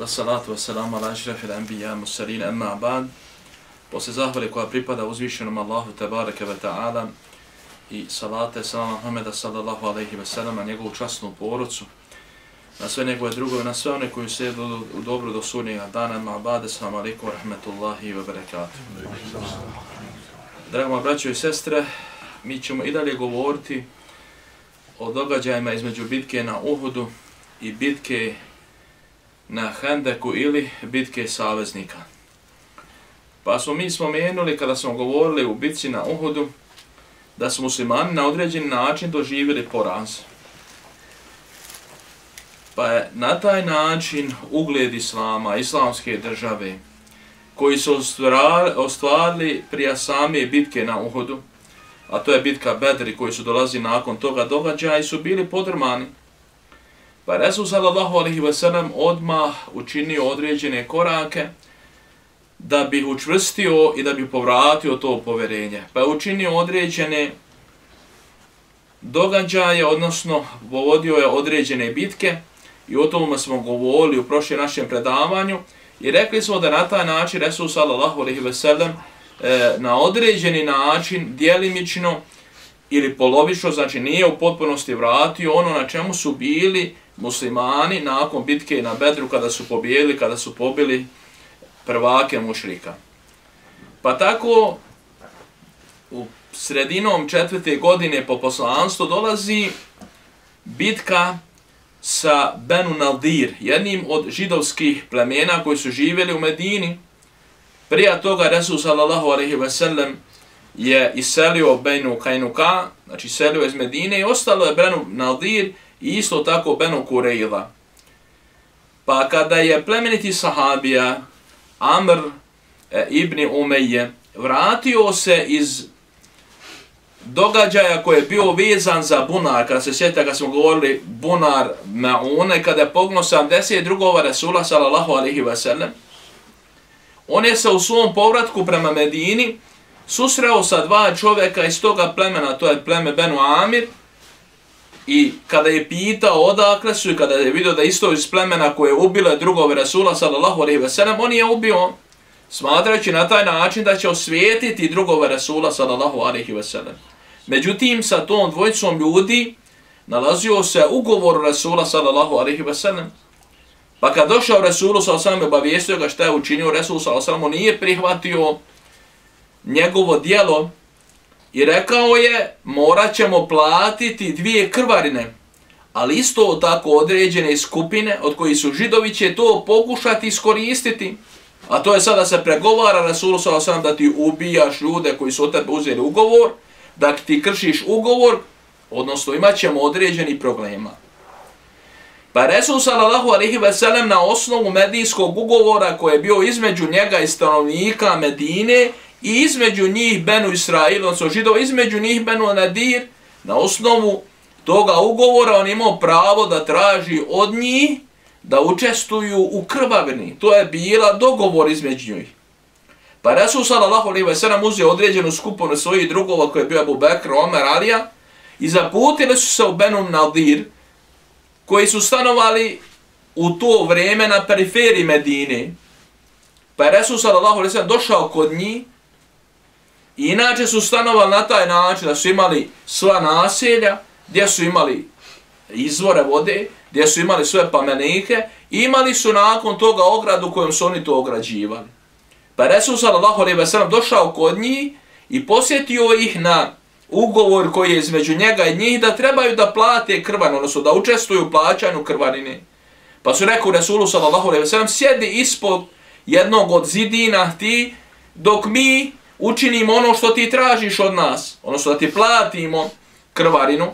Salatu wassalamu ala ašrafil anbiya mursalin amma ba'd. Posle zahvale koja pripada uzvišenom Allahu tebareke ve ta'ala i salate salama Muhameda sallallahu alejhi ve sellem na njegovu časnu porodcu, na sve njegove drugove, na sve one koji se u dobro do sudnjega dana. Amma ba'd. Assalamu alejkum wa rahmatullahi wa barakatuh. Drago moji braćo i sestre, mi ćemo i dalje govoriti o događajima između bitke na Uhudu i bitke na Hendeku ili bitke saveznika. Pa smo mi spomenuli kada smo govorili u bitci na Uhudu da su muslimani na određeni način doživjeli poraz. Pa je na taj način ugled islama, islamske države, koji su ostvarili prije same bitke na Uhudu, a to je bitka Bedri koji su dolazili nakon toga događaja, i su bili podrmani. Pa Resul sallallahu alejhi ve sellem odmah učinio određene korake da bi učvrstio i da bi povratio to povjerenje. Pa je učinio određene događaje, odnosno vodio je određene bitke, i o tome smo govorili u prošlom našem predavanju, i rekli smo da na taj način Resul sallallahu alejhi ve sellem na određeni način, djelimično ili polovično, znači nije u potpunosti vratio ono na čemu su bili muslimani nakon bitke na Bedru kada su pobijedili, kada su pobili prvake mušrika. Pa tako u sredinom 4. godine po poslanstvu dolazi bitka sa Benu Nadir, jednim od židovskih plemena koji su živjeli u Medini. Prije toga Resul sallallahu alejhi ve sellem je iselio Benu Kajnuka, znači iselio iz Medine, i ostalo je Benu Nadir i isto tako Benu Kurejla. Pa kada je plemeniti sahabija Amr ibn Umeje vratio se iz događaja koji je bio vezan za bunar, kada se sjeta kad smo govorili bunar Maune, kada je pognuo 70 drugova Resula sallallahu alejhi ve sellem, on je se u svom povratku prema Medini susreo sa dva čovjeka iz toga plemena, to je pleme Benu Amir, i kada je pitao odakle su i kada je vidio da isto iz plemena koje je ubilo drugove Resula sallallahu alejhi ve sellem, on je ubio, smatrajući na taj način da će osvijetiti drugove Resula sallallahu alejhi ve sellem. Međutim, sa tom dvojicom ljudi nalazio se ugovor Resula sallallahu alejhi ve sellem. Pa kad došao Resulu sallallahu alejhi ve sellem, obavijestio ga šta je učinio, Resul sallallahu alejhi ve sellem nije prihvatio njegovo djelo i rekao je morat ćemo platiti 2 krvarine, ali isto tako određene skupine od kojih su židovi će to pokušati iskoristiti. A to je sada se pregovara Resulu sallallahu alejhi ve sellem da ti ubijaš ljude koji su od tebe uzeli ugovor, da ti kršiš ugovor, odnosno imat ćemo određeni problema. Pa Resul sallallahu alejhi ve sellem na osnovu medijskog ugovora koji je bio između njega i stanovnika Medine i između njih Benu Israil, odnosno židova, između njih Benu Nadir, na osnovu toga ugovora on imao pravo da traži od njih da učestvuju u krvavini. To je bila dogovor između njih. Pa Resul sallallahu alejhi ve sellem uzeo određenu skupinu svojih drugova koji je bio Abu Bekr, Omer, Alija, i zaputili su se u Benu Nadir, koji su stanovali u to vrijeme na periferiji Medine. Pa je Resul sallallahu alejhi ve sellem došao kod njih, i inače su stanovali na taj način da su imali sva naselja, gdje su imali izvore vode, gdje su imali sve pamenike, i imali su nakon toga ogradu kojom su oni to ograđivali. Pa je Resul sallallahu alejhi ve sellem došao kod njih i posjetio ih na ugovor koji je između njega i njih da trebaju da plate krvarinu, odnosno da učestvuju u plaćanju krvarine. Pa su rekao Resulu sallallahu alejhi ve sellem, sjedi ispod jednog od zidina ti dok mi učinimo ono što ti tražiš od nas, odnosno da ti platimo krvarinu.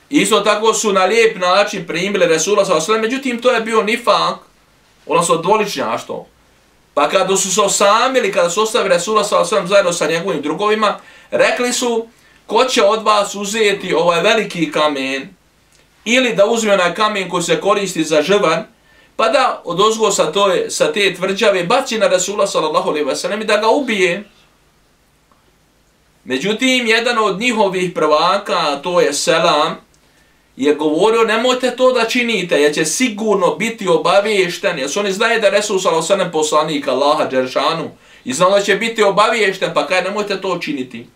Isto tako su na lijep način primili Resula sallallahu alejhi ve sellem, međutim to je bio nifak, odnosno dvoličnjaštvo. Pa kada su se osamili, kada su ostavili Resula s.a.v. zajedno sa njegovim drugovima, rekli su, ko će od vas uzeti ovaj veliki kamen, ili da uzme onaj kamen koji se koristi za žrvan, pa da odozgo sa te tvrđave baci na Resula s.a.v. i da ga ubije. Međutim, jedan od njihovih prvaka, to je Selam, je govorio, nemojte to da činite, jer će sigurno biti obaviješten, jer su oni znaju da je Resul s.a.v. poslanik Allaha Đeršanu i znao da će biti obaviješten, pa kaj nemojte to činiti.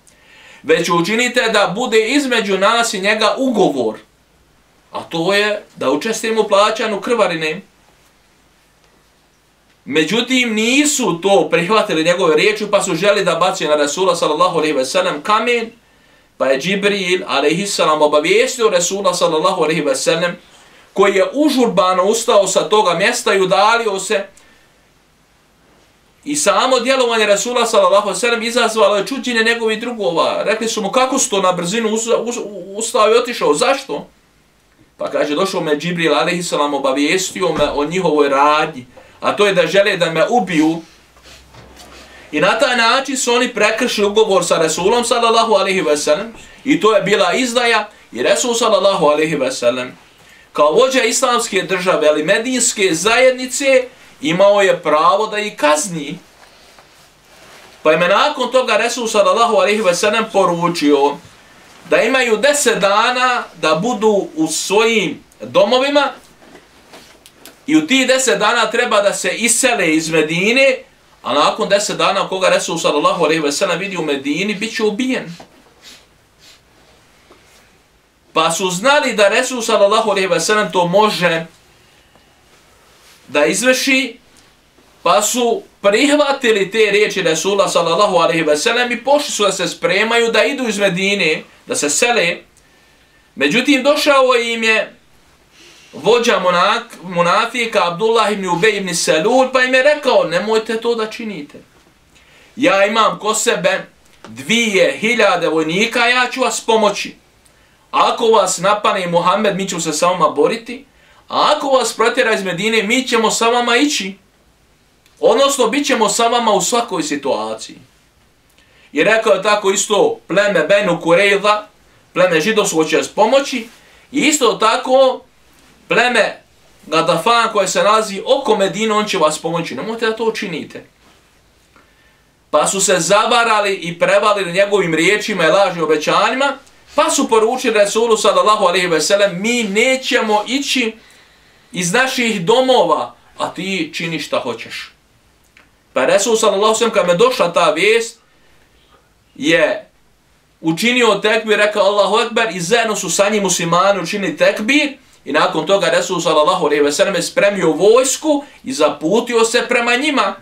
Već učinite da bude između nas i njega ugovor, a to je da učestvujemo u plaćanju krvarine. Međutim, nisu to prihvatili njegove riječi, pa su želi da baci na Resula s.a.v. kamen, pa je Džibril a.s. obavijestio Resula s.a.v. koji je užurbano ustao sa toga mjesta i udalio se. I samo djelovanje Resula s.a.v. izazvalo je čuđenje njegovih drugova. Rekli su mu, kako su to na brzinu ustao i otišao, zašto? Pa kaže, došao me Džibril a.s. obavijestio me o njihovoj radnji, a to je da žele da me ubiju. I na taj način su oni prekršili ugovor sa Resulom s.a.v. i to je bila izdaja i Resul s.a.v. kao vođa islamske države, ali medinske zajednice, imao je pravo da ih kazni. Pa je nakon toga Resul s.a.v. poručio da imaju 10 dana da budu u svojim domovima i u tih 10 dana treba da se isele iz Medine, a nakon 10 dana koga Resul s.a.v. vidi u Medini, bit će ubijen. Pa su znali da Resul s.a.v. to može da izvrši, pa su prihvatili te riječi Resula s.a.v. i pošli su da se spremaju da idu iz Medine, da se sele. Međutim, došao im je vođa munafika Abdullah ibn Ubej ibn Selul, pa im je rekao, nemojte to da činite. Ja imam ko sebe 2000 vojnika, ja ću vas pomoći. Ako vas napane Muhammed, mi ćemo se sa vama boriti, a ako vas protjera iz Medine, mi ćemo sa vama ići. Odnosno, bit ćemo sa vama u svakoj situaciji. I rekao je tako isto pleme Benu Kurejla, pleme židovsko će vas pomoći, i isto tako pleme Gadafan koje se nalazi oko Medine, on će vas pomoći. Nemojte da to učinite. Pa su se zavarali i prevalili njegovim riječima i lažnim obećanjima, pa su poručili Resulu s.a.v. mi nećemo ići iz naših domova, a ti čini šta hoćeš. Pa Resul s.a.v. kad me došla ta vijest, je učinio tekbir, rekao Allahu Ekber, i zajedno su sa njim muslimani učinili tekbir, i nakon toga Resul s.a.v. spremio vojsku i zaputio se prema njima.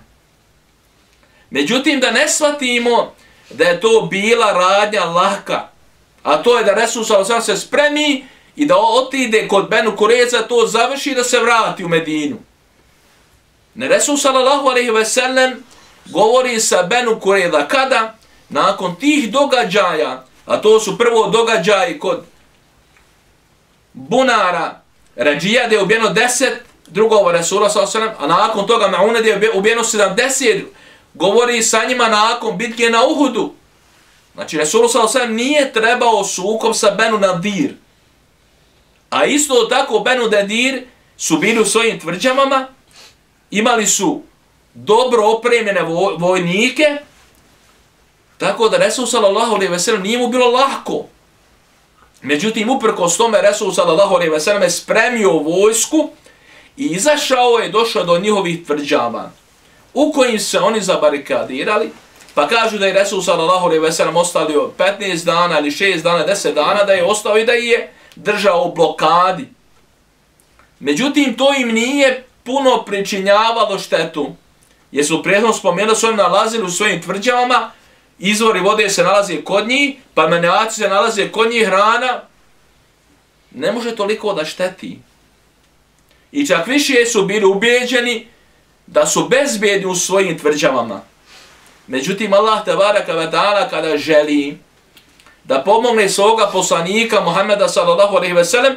Međutim, da ne shvatimo da je to bila radnja lahka, a to je da Resul s.a.v. se spremi i da otide kod Benu Kureza, to završi da se vrati u Medinu. Ne, Resul s.a.v. govori sa Benu Kureza kada? Nakon tih događaja, a to su prvo događaji kod Bunara, Ređija, gdje je ubijeno 10 drugova Resula s.a.v. a nakon toga Maune, gdje je ubijeno 70, govori sa njima nakon bitke na Uhudu. Znači, Resul s.a.v. nije trebao sukob sa Benu Nadir. A isto tako Benu Nadir su bili u svojim tvrđavama, imali su dobro opremljene vojnike, tako da Resul s.a.v. nije mu bilo lahko. Međutim, uprkos tome Resul s.a.v. spremio vojsku i izašao je, došao do njihovih tvrđava, u kojim se oni zabarikadirali, pa kažu da je Resul s.a.v. ostavio 15 dana ili 6 dana, 10 dana, da je ostao i da je držao u blokadi. Međutim, to im nije puno pričinjavalo štetu, jer su prijedno spomenuli, su oni nalazili u svojim tvrđavama, izvori vode se nalaze kod njih, pa menjaci se nalaze kod njih, hrana ne može toliko da šteti. I čak više su bili ubijeđeni da su bezbjedni u svojim tvrđavama. Međutim, Allah tebaraka ve ta'ala kada želi da pomogne svoga poslanika Muhammeda s.a.v.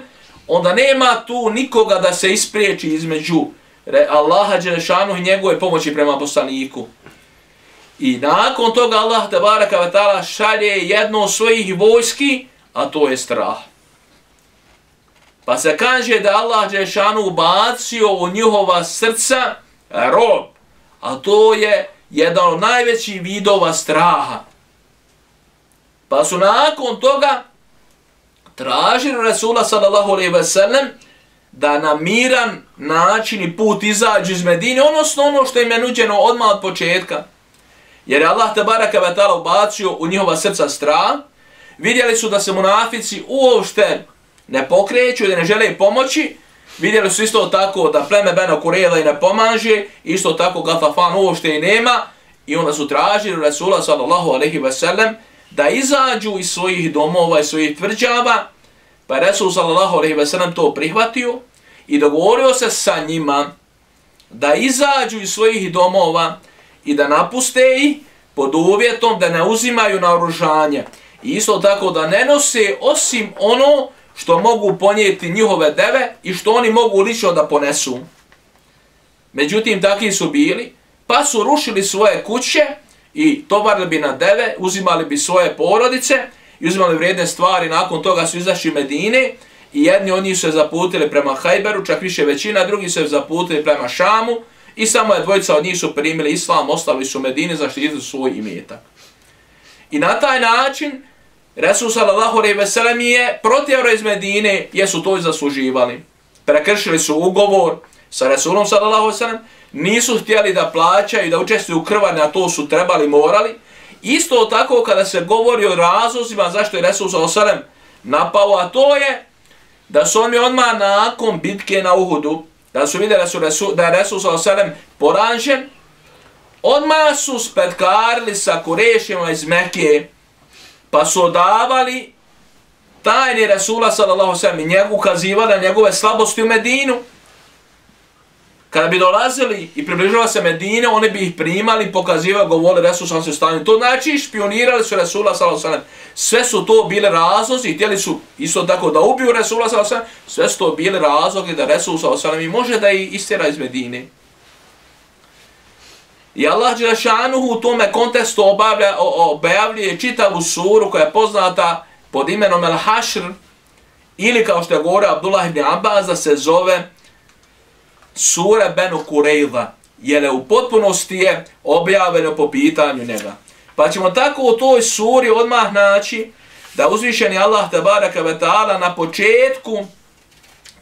onda nema tu nikoga da se ispriječi između Allaha dželešanu i njegove pomoći prema poslaniku. I nakon toga Allah tebaraka ve taala šalje jedno od svojih vojski, a to je strah. Pa se kaže da Allah dželešanu ubacio u njihova srca rob, a to je jedan od najvećih vidova straha. Pa su nakon toga tražili Resula sallallahu alejhi ve sellem da na miran način i put izađu iz Medine, odnosno ono što im je nuđeno odmah od početka. Jer je Allah tebaraka ve taala ubacio u njihova srca strah. Vidjeli su da se munafici uopšte ne pokreću i da ne žele pomoći. Vidjeli su isto tako da pleme Benu Kurejza i ne pomaže, isto tako Gatafan uopšte i nema. I onda su tražili Resula sallallahu alejhi ve sellem da izađu iz svojih domova i svojih tvrđava. Pa je Resul sallallahu alejhi ve sellem to prihvatio i dogovorio se sa njima da izađu iz svojih domova i da napuste ih pod uvjetom da ne uzimaju naoružanje. I isto tako da ne nose osim ono što mogu ponijeti njihove deve i što oni mogu lično da ponesu. Međutim, takvi su bili, pa su rušili svoje kuće i tovarili bi na deve, uzimali bi svoje porodice i uzimali vrijedne stvari. Nakon toga su izašli Medine i jedni od njih su se zaputili prema Hajberu, čak više većina, drugi su se zaputili prema Šamu i samo je dvojica od njih su primili islam, ostali su u Medini, zaštitili svoj imetak. I na taj način Resul sallallahu alejhi ve sellem je protjerao iz Medine jer su to i zasluživali. Prekršili su ugovor sa Resulom sallallahu alejhi ve sellem, nisu htjeli da plaćaju i da učestvuju u krvarni, a to su trebali, morali. Isto tako kada se govori o razlozima zašto je Resul sallallahu alejhi ve sellem napao, a to je da su oni odmah nakon bitke na Uhudu, da su vidjeli da je Resul sallallahu alejhi ve sellem poražen, odmah su spetkarili sa Kurešima iz Mekke, pa su odavali tajni Resula sallallahu alejhi ve sellem i njegu ukazivali na njegove slabosti u Medinu. Kada bi dolazili i približavali se Medine, oni bi ih primali, pokazivali, govorili Resul sallallahu alejhi ve sellem. To znači špionirali su Resula sallallahu alejhi ve sellem. Sve su to bile razlozi, htjeli su isto tako da ubiju Resula sallallahu alejhi ve sellem. Sve su to bile razlozi da Resul sallallahu alejhi ve sellem može da ih istjera iz Medine. I Allah dželešanuhu u tome kontekstu objavljuje čitavu suru koja je poznata pod imenom El-Hašr, ili kao što je govorio Abdullah ibn Abbas da se zove sura Benu Kurejza, jer u potpunosti je objavljeno po pitanju njega. Pa ćemo tako u toj suri odmah naći da uzvišeni Allah tebaraka ve taala na početku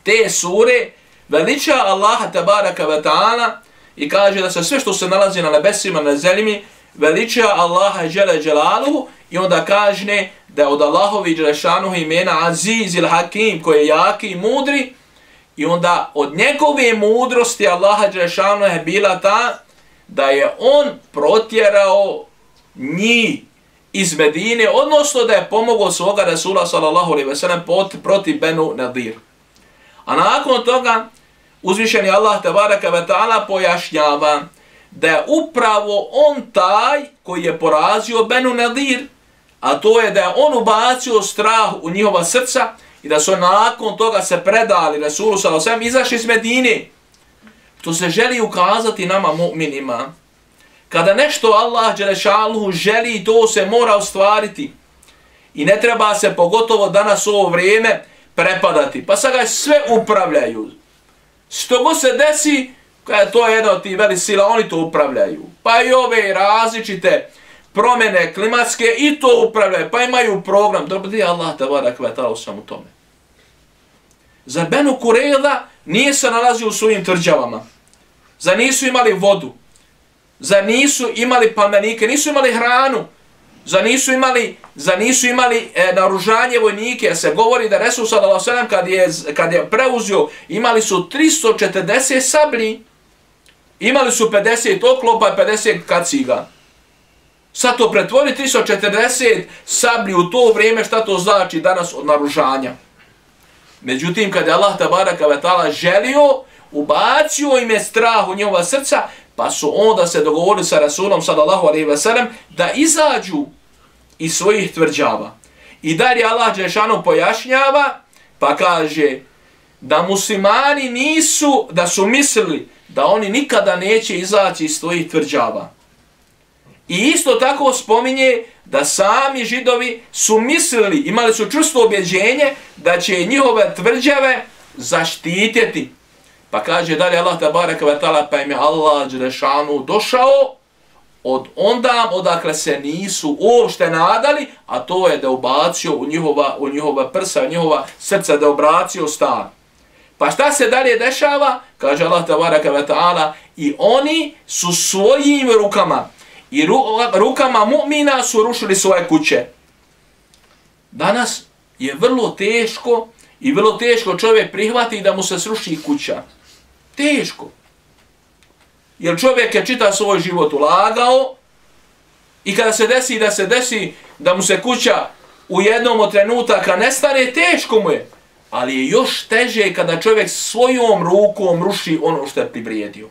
te sure veliča Allaha tebaraka ve taala i kaže da se sve što se nalazi na nebesima, na zemlji, veliča Allaha dželle dželaluhu i onda kaže da je od Allahovi dželešanuhu imena Aziz il Hakim, koji je jaki i mudri, i onda od njegove mudrosti Allaha dželešanuhu je bila ta da je on protjerao njih iz Medine, odnosno da je pomogao svoga Resula sallallahu alejhi ve sellem protiv Benu Nadir. A nakon toga uzvišeni Allah tebaraka ve taala pojašnjava da je upravo on taj koji je porazio Benu Nadir, a to je da je on ubacio strah u njihova srca i da su nakon toga se predali Resulu sallallahu alejhi ve sellem, izašli iz Medine. To se želi ukazati nama mu'minima. Kada nešto Allah dželešanuhu želi, to se mora ostvariti. I ne treba se pogotovo danas u ovo vrijeme prepadati. Pa sad ga sve upravljaju. Što god se desi, to je jedna od tih velih sila, oni to upravljaju. Pa i ove različite promjene klimatske i to upravljaju. Pa imaju program. Dobro, gdje je Allah tebaraka ve taala u svemu tome? Zar Benu Kurejza nije se nalazio u svojim tvrđavama? Zar nisu imali vodu? Zar nisu imali palmenike? Nisu imali hranu? Zar nisu imali naoružanje vojnike? Jer se govori da Resul sallallahu alejhi ve sellem kad je preuzio, imali su 340 sablji, imali su 50 oklopa i 50 kaciga. Sad to pretvori 340 sablji u to vrijeme, šta to znači danas od naoružanja? Međutim, kad je Allah tebaraka ve taala želio, ubacio im je strah u njihova srca, pa su onda se dogovorili sa Rasulom sallallahu alejhi ve sellem da izađu iz svojih tvrđava. I dalje Allah dželešanu pojašnjava, pa kaže da muslimani da su mislili da oni nikada neće izaći iz svojih tvrđava. I isto tako spominje da sami Židovi su mislili, imali su čvrsto objeđenje da će njihove tvrđave zaštititi. Pa kaže dalje Allah tabaraka wa ta'ala, pa im je Allah dželešanu došao od onda odakle se nisu uopšte nadali, a to je da ubacio u njihova prsa, u njihova srca, da obracio stan. Pa šta se dalje dešava? Kaže Allah tabaraka wa ta'ala, i oni su svojim rukama i rukama mu'mina su rušili svoje kuće. Danas je vrlo teško i vrlo teško čovjek prihvati da mu se sruši kuća. Teško. Jer čovjek je čita svoj život ulagao i kada se desi da mu se kuća u jednom od trenutaka nestane, teško mu je. Ali je još teže kada čovjek svojom rukom ruši ono što je privrijedio.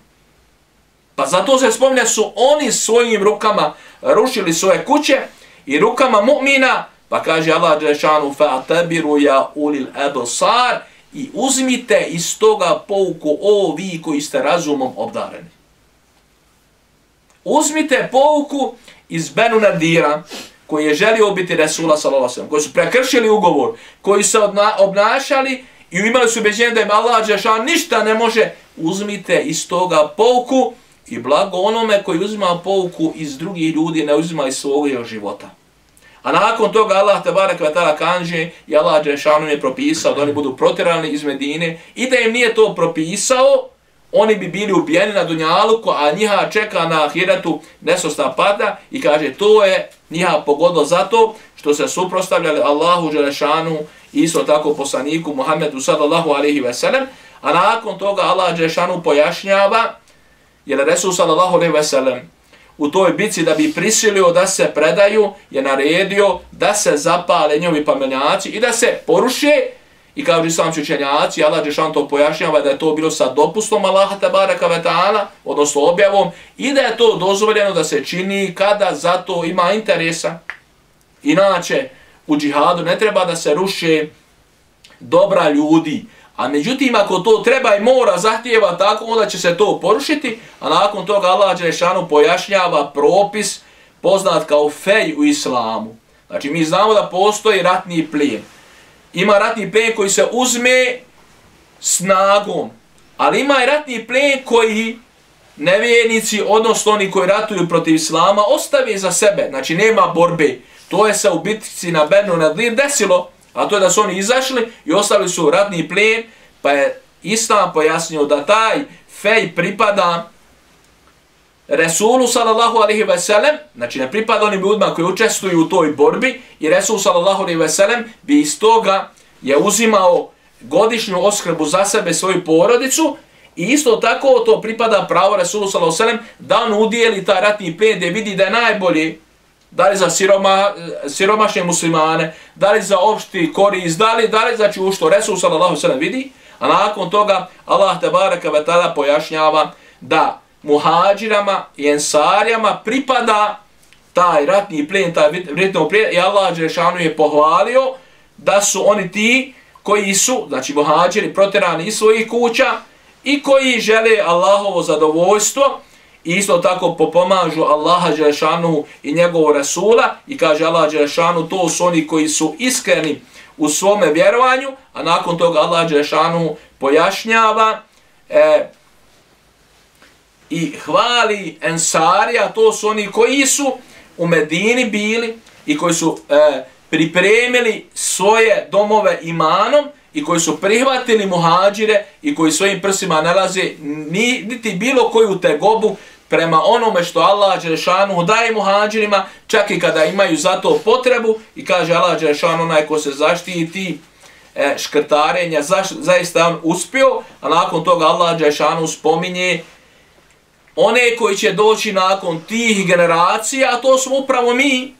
Pa zato se spominje su oni svojim rukama rušili svoje kuće i rukama mu'mina, pa kaže Allah dželešanu fa'tabiru ya ulil absar, i uzmite iz toga pouku, o vi koji ste razumom obdareni. Uzmite pouku iz Benu Nadira, koji je želio biti Resula sallallahu alejhi ve sellem, koji su prekršili ugovor, koji se obnašali i imali su ubeđenje da im Allah dželešanu ništa ne može. Uzmite iz toga pouku i blago onome koji uzima pouku iz drugih ljudi, ne uzima iz svog života. A nakon toga Allah tabaraka wa ta'ala kaže i Allah dželešanu je propisao da oni budu protjerani iz Medine i da im nije to propisao, oni bi bili ubijeni na dunjaluku, a njiha čeka na ahiretu nesosna pada i kaže to je njiha pogodilo zato što se suprotstavljali Allahu dželešanu i isto tako poslaniku Muhammedu sallallahu alejhi ve sellem, a nakon toga Allah dželešanu pojašnjava, jer Resul sallallahu alejhi ve sellem u toj bici da bi prisilio da se predaju je naredio da se zapale njihovi pamenjaci i da se poruše. I kao islamski učenjaci, Allah dželešanu to pojašnjava da je to bilo sa dopustom Allaha tabaraka wa ta'ala, odnosno objavom, i da je to dozvoljeno da se čini kada za to ima interesa. Inače, u džihadu ne treba da se ruše dobra ljudi, a međutim ako to treba i mora, zahtijeva tako, onda će se to porušiti, a nakon toga Allah dželešanu pojašnjava propis poznat kao fej u islamu. Znači mi znamo da postoji ratni plijen. Ima ratni plijen koji se uzme snagom, ali ima i ratni plijen koji nevjernici, odnosno oni koji ratuju protiv islama, ostave za sebe. Znači nema borbe. To je se u bitci na Benu Nadir desilo, a to je da su oni izašli i ostavili su ratni plijen, pa je Islam pojasnio da taj fej pripada Resulu sallallahu alejhi ve sellem, znači ne pripada onim ljudima koji učestvuju u toj borbi, i Resul sallallahu alejhi ve sellem bi iz toga je uzimao godišnju oskrbu za sebe, svoju porodicu, i isto tako to pripada pravo Resulu sallallahu alejhi ve sellem da on udijeli taj ratni plijen gdje vidi da je najbolji, da li za siromašne muslimane, da li za opšti korist, da li znači u što Resul sallallahu alejhi ve sellem vidi, a nakon toga Allah tebareka ve taala pojašnjava da muhađirama i ensarijama pripada taj ratni plijen, taj vredno plijen, i Allah dželešanu je pohvalio da su oni ti koji su, znači muhađiri, protjerani iz svojih kuća i koji žele Allahovo zadovoljstvo i isto tako pomažu Allaha dželešanu i njegovog Rasula, i kaže Allah dželešanu to su oni koji su iskreni u svome vjerovanju, a nakon toga Allah dželešanu pojašnjava i hvali ensarija, to su oni koji su u Medini bili i koji su pripremili svoje domove imanom i koji su prihvatili muhađire i koji svojim prsima nalaze niti bilo koju tegobu prema onome što Allah dželešanu daje muhađirima, čak i kada imaju za to potrebu, i kaže Allah dželešanu onaj ko se zaštiti škrtarenja, zaista on uspio, a nakon toga Allah dželešanu spominje one koji će doći nakon tih generacija, a to smo upravo mi,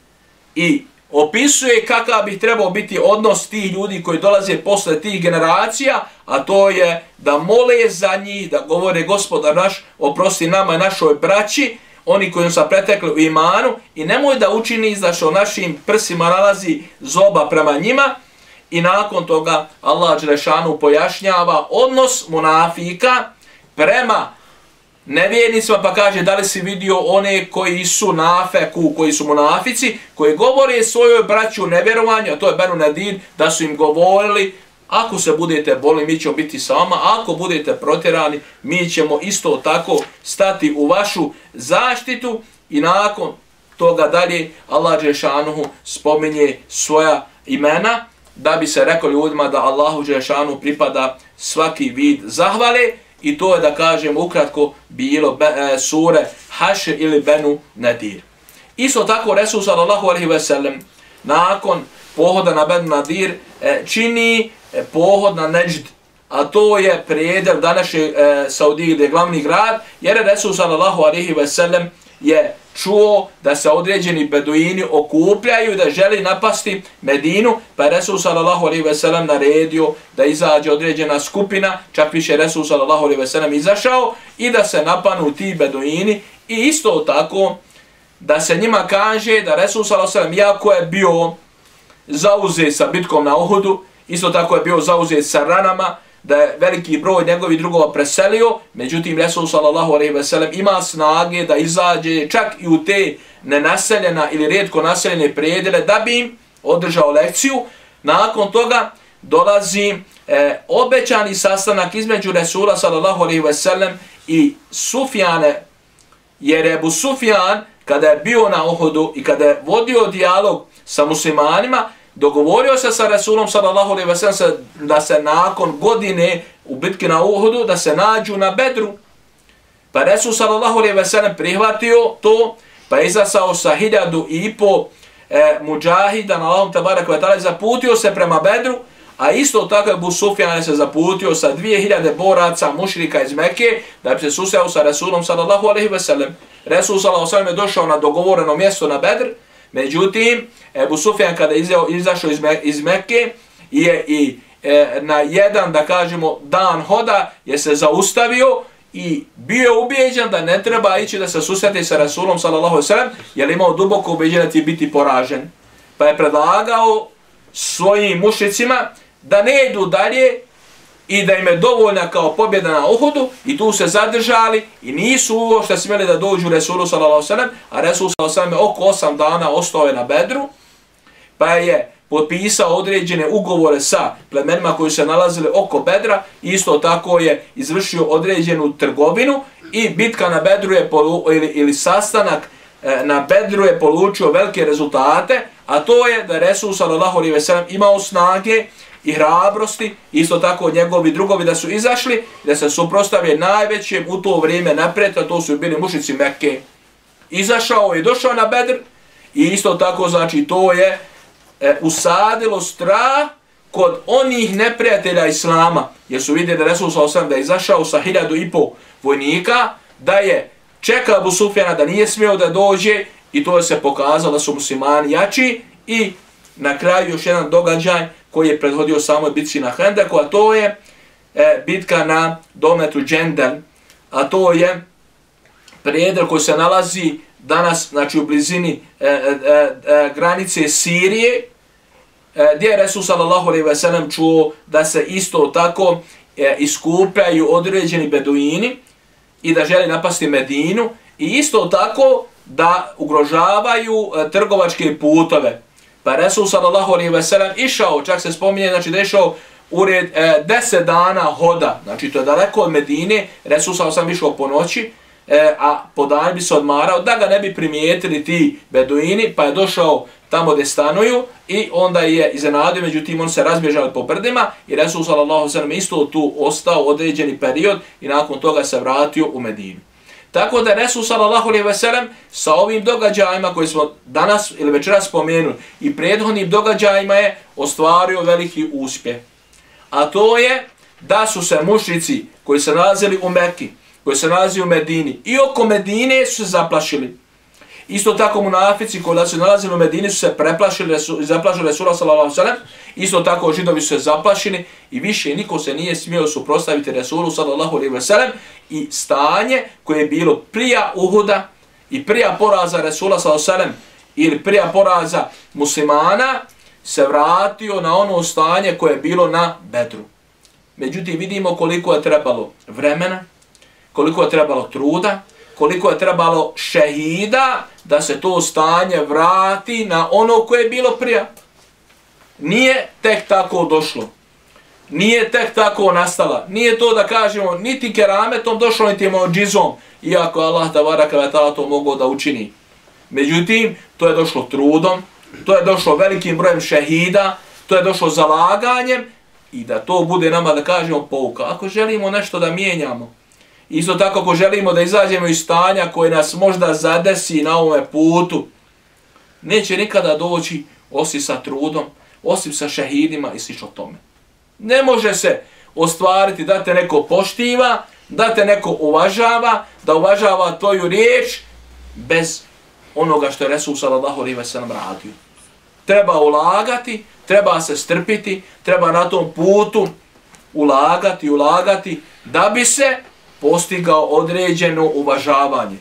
i opisuje kakav bi trebao biti odnos tih ljudi koji dolaze posle tih generacija, a to je da mole za njih, da govore Gospodar naš, oprosti nama i našoj braći, oni koji su pretekli u imanu, i nemoj da učini da što našim prsima nalazi zoba prema njima. I nakon toga Allah dželešanu pojašnjava odnos munafika prema nevjernicima pa kaže da li si vidio one koji su nafeku, koji su munafici, koji govore svojoj braći u nevjerovanju, a to je Benu Nadir, da su im govorili ako se budete boli, mi ćemo biti sa vama, ako budete protjerani, mi ćemo isto tako stati u vašu zaštitu i nakon toga dalje Allah dželešanuhu spominje svoja imena da bi se rekao ljudima da Allahu dželešanuhu pripada svaki vid zahvale i to je da kažem ukratko bilo sure Hašr ili Benu Nadir. Isto tako Resul sallallahu alejhi ve sellem nakon pohoda na Benu Nadir čini pohod na Neđd, a to je predel današnje Saudije gdje je glavni grad, jer je Resul sallallahu alejhi ve sellem je čuo da se određeni beduini okupljaju da želi napasti Medinu, pa je Resul sallallahu alejhi ve sellem naredio da izađe određena skupina, čak više Resul sallallahu alejhi ve sellem izašao i da se napanu ti beduini i isto tako da se njima kaže da Resul sallallahu alejhi ve sellem jako je bio zauzet sa bitkom na Uhudu, isto tako je bio zauzet sa ranama, da je veliki broj njegovih drugova preselio, međutim Resul sallallahu alejhi ve sellem ima snage da izađe čak i u te nenaseljena ili rijetko naseljene predele da bi im održao lekciju. Nakon toga dolazi obećani sastanak između Resula sallallahu alejhi ve sellem i Sufjane, jer Ebu Sufjan kada je bio na Uhudu i kada je vodio dijalog sa muslimanima, dogovorio se sa Resulom sallallahu alejhi ve sellem da se nakon godine u bitki na Uhudu da se nađu na Bedru. Pa Resul sallallahu alejhi ve sellem prihvatio to, pa je izašao sa 1500 mudžahida na Allahom tebarek ve taala, zaputio se prema Bedru, a isto tako Ebu Sufjan se zaputio sa 2000 boraca mušrika iz Mekke da bi se susreo sa Resulom sallallahu alejhi ve sellem. Resul sallallahu alejhi ve sellem je došao na dogovoreno mjesto na Bedr. Međutim, Ebu Sufjan kada je izašao iz Mekke i na jedan, da kažemo, dan hoda je se zaustavio i bio ubijeđen da ne treba ići da se susreti sa Rasulom sallallahu alejhi ve sellem, jer imao duboko ubeđenje da će biti poražen. Pa je predlagao svojim mušricima da ne idu dalje i da im je dovoljna kao pobjeda na Uhudu i tu se zadržali i nisu uopšte smjeli da dođu Resulu sallallahu alejhi ve sellem, a Resul sallallahu alejhi ve sellem oko 8 dana ostao je na Bedru, pa je potpisao određene ugovore sa plemenima koji se nalazili oko Bedra, isto tako je izvršio određenu trgovinu i bitka na Bedru je ili sastanak na Bedru je polučio velike rezultate, a to je da Resul sallallahu alejhi ve sellem imao snage i hrabrosti, isto tako njegovi drugovi da su izašli, da se suprotstavili najvećem u to vrijeme naprijed, a to su bili mušnici Mekke. Izašao i došao na Bedr i isto tako znači to je usadilo strah kod onih neprijatelja Islama, jer su vidjeli da Resul sallallahu alejhi ve sellem da je izašao sa 1500 vojnika, da je čekao Abu Sufjana da nije smio da dođe i to je se pokazalo da su muslimani jači i na kraju još jedan događaj koji je prethodio samoj bitci na Hendeku, a to je bitka na dometu Džendel, a to je predel koji se nalazi danas znači u blizini granice Sirije, gdje je Resul sallallahu alejhi ve sellem čuo da se isto tako iskupljaju određeni beduini i da želi napasti Medinu i isto tako da ugrožavaju trgovačke putove. Pa Resul sallallahu alejhi ve sellem išao, čak se spominje, znači da je išao ured 10 dana hoda, znači to je daleko od Medine, Resul sallallahu alejhi ve sellem išao po noći, a po dan bi se odmarao da ga ne bi primijetili ti beduini, pa je došao tamo gdje stanuju i onda je iznenadio, međutim on se razbježali po brdima i Resul sallallahu alejhi ve sellem isto tu ostao određeni period i nakon toga se vratio u Medinu. Tako da Resul sallallahu alejhi ve sellem sa ovim događajima koji smo danas ili večeras spomenuli i prethodnim događajima je ostvario veliki uspjeh. A to je da su se mušrici koji se nalazili u Mekki, koji se nalazi u Medini i oko Medine su se zaplašili. Isto tako munafici koji se nalazili u Medini su se preplašili i zaplašili Resula sallallahu alejhi ve sellem. Isto tako židovi su se zaplašili i više niko se nije smio suprotstaviti Resulu sallallahu alejhi ve sellem i stanje koje je bilo prija Uhuda i prija poraza Resula sallallahu alejhi ve sellem ili prija poraza muslimana se vratio na ono stanje koje je bilo na Bedru. Međutim vidimo koliko je trebalo vremena, koliko je trebalo truda, koliko je trebalo šehida da se to stanje vrati na ono koje je bilo prije. Nije tek tako došlo. Nije tek tako nastala. Nije to da kažemo niti kerametom došlo, niti muadžizom, iako Allah tebareke ve taala to mogao da učini. Međutim, to je došlo trudom, to je došlo velikim brojem šehida, to je došlo zalaganjem i da to bude nama, da kažemo, pouka. Ako želimo nešto da mijenjamo, isto tako ako želimo da izađemo iz stanja koje nas možda zadesi na ovome putu, neće nikada doći osim sa trudom, osim sa šehidima i slično tome. Ne može se ostvariti da te neko poštiva, da te neko uvažava, da uvažava tvoju riječ bez onoga što je Resul sallallahu alejhi ve sellem radio. Treba ulagati, treba se strpiti, treba na tom putu ulagati da bi se postigao određeno uvažavanje.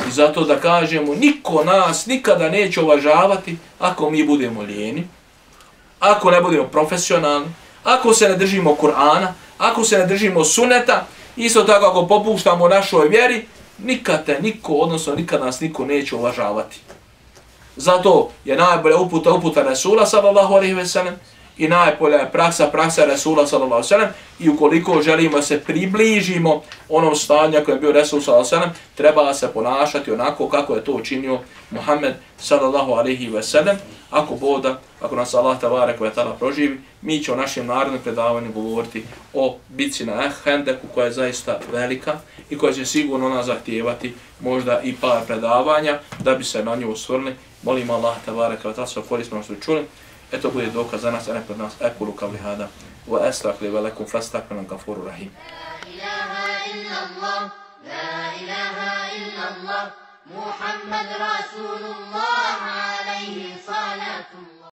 I zato da kažemo, niko nas nikada neće uvažavati ako mi budemo lijeni, ako ne budemo profesionalni, ako se ne držimo Kur'ana, ako se ne držimo suneta, isto tako ako popuštamo našoj vjeri, nikad te niko, odnosno nikad nas niko neće uvažavati. Zato je najbolja uputa Resula sallallahu alejhi ve sellem i najbolja je praksa Resula sallallahu alejhi ve sellem i ukoliko želimo se približimo onom stanju koje je bio Resul sallallahu alejhi ve sellem, treba se ponašati onako kako je to učinio Muhammed sallallahu alejhi ve sellem. Ako nas Allah tebareke ve taala proživi, mi će o našem narednom predavanju govoriti o bitci na Hendeku, koja je zaista velika i koja će sigurno nas zahtijevati možda i par predavanja da bi se na nju osvrnuli. Molim Allah tebareke ve taala da korisno što čuli. Eto bude dokaz za nas, a ne pred nas. Ekulu kavli hada wa astaghfiru wa lakum fastaghfiruhu gafurur rahim. La ilaha illallah, la ilaha illallah, Muhammad rasulullah.